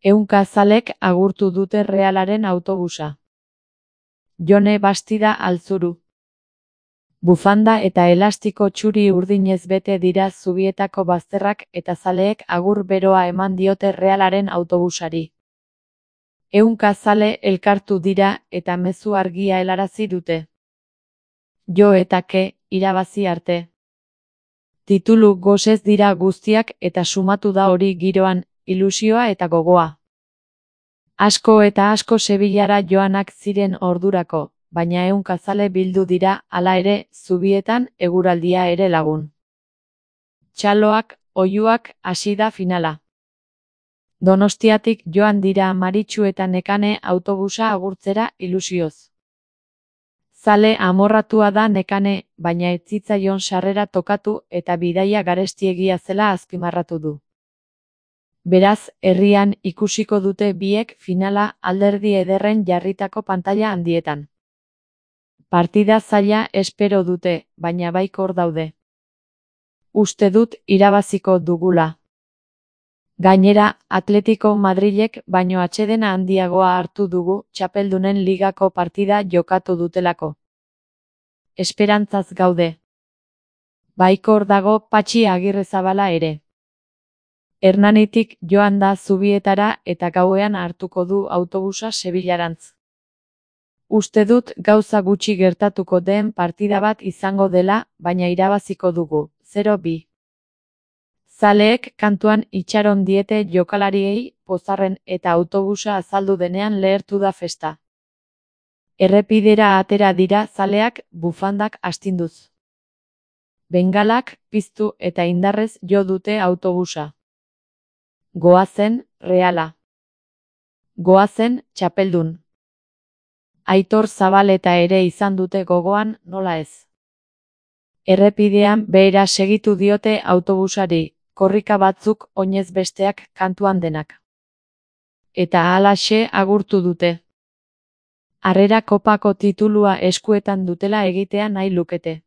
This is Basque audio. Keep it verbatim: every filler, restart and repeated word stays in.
Ehunka zalek agurtu dute Realaren autobusa. Jone Bastida Altzuru. Bufanda eta elastiko txuri urdinez bete dira Zubietako bazterrak eta zaleek agur beroa eman diote Realaren autobusari. Ehunka zale elkartu dira eta mezu argia helarazi dute. Jo eta ke, irabazi arte. Titulu gosez dira guztiak eta sumatu da hori giroan, ilusioa eta gogoa. Asko eta asko Sevillara joanak ziren ordurako, baina ehunka zale bildu dira, hala ere, Zubietan eguraldia ere lagun. Txaloak, oihuak, hasi da finala. Donostiatik joan dira Maritxu eta Nekane autobusa agurtzera ilusioz. Zale amorratua da Nekane, baina ez zitzaion sarrera tokatu eta bidaia garestiegia zela azpimarratu du. Beraz, herrian ikusiko dute biek finala alderdi ederren jarritako pantaila handietan. Partida zaila espero dute, baina baikor daude. Uste dut irabaziko dugula. Gainera, Atletico Madrilek baino atsedena handiagoa hartu dugu Txapeldunen ligako partida jokatu dutelako. Esperantzaz gaude. Baikor dago Patxi Agirrezabala ere. Hernanitik joan da Zubietara eta gauean hartuko du autobusa Sevillarantz. Uste dut gauza gutxi gertatuko den partida bat izango dela, baina irabaziko dugu, zero bi. Zaleek kantuan itxaron diete jokalariei, pozarren eta autobusa azaldu denean lehertu da festa. Errepidera atera dira zaleak bufandak astinduz. Bengalak piztu eta indarrez jo dute autobusa. Goazen, Reala. Goazen, txapeldun. Aitor Zabaleta ere izan dute gogoan, nola ez. Errepidean behera segitu diote autobusari, korrika batzuk oinez besteak kantuan denak. Eta halaxe agurtu dute. Harrera kopako titulua eskuetan dutela egitea nahi lukete.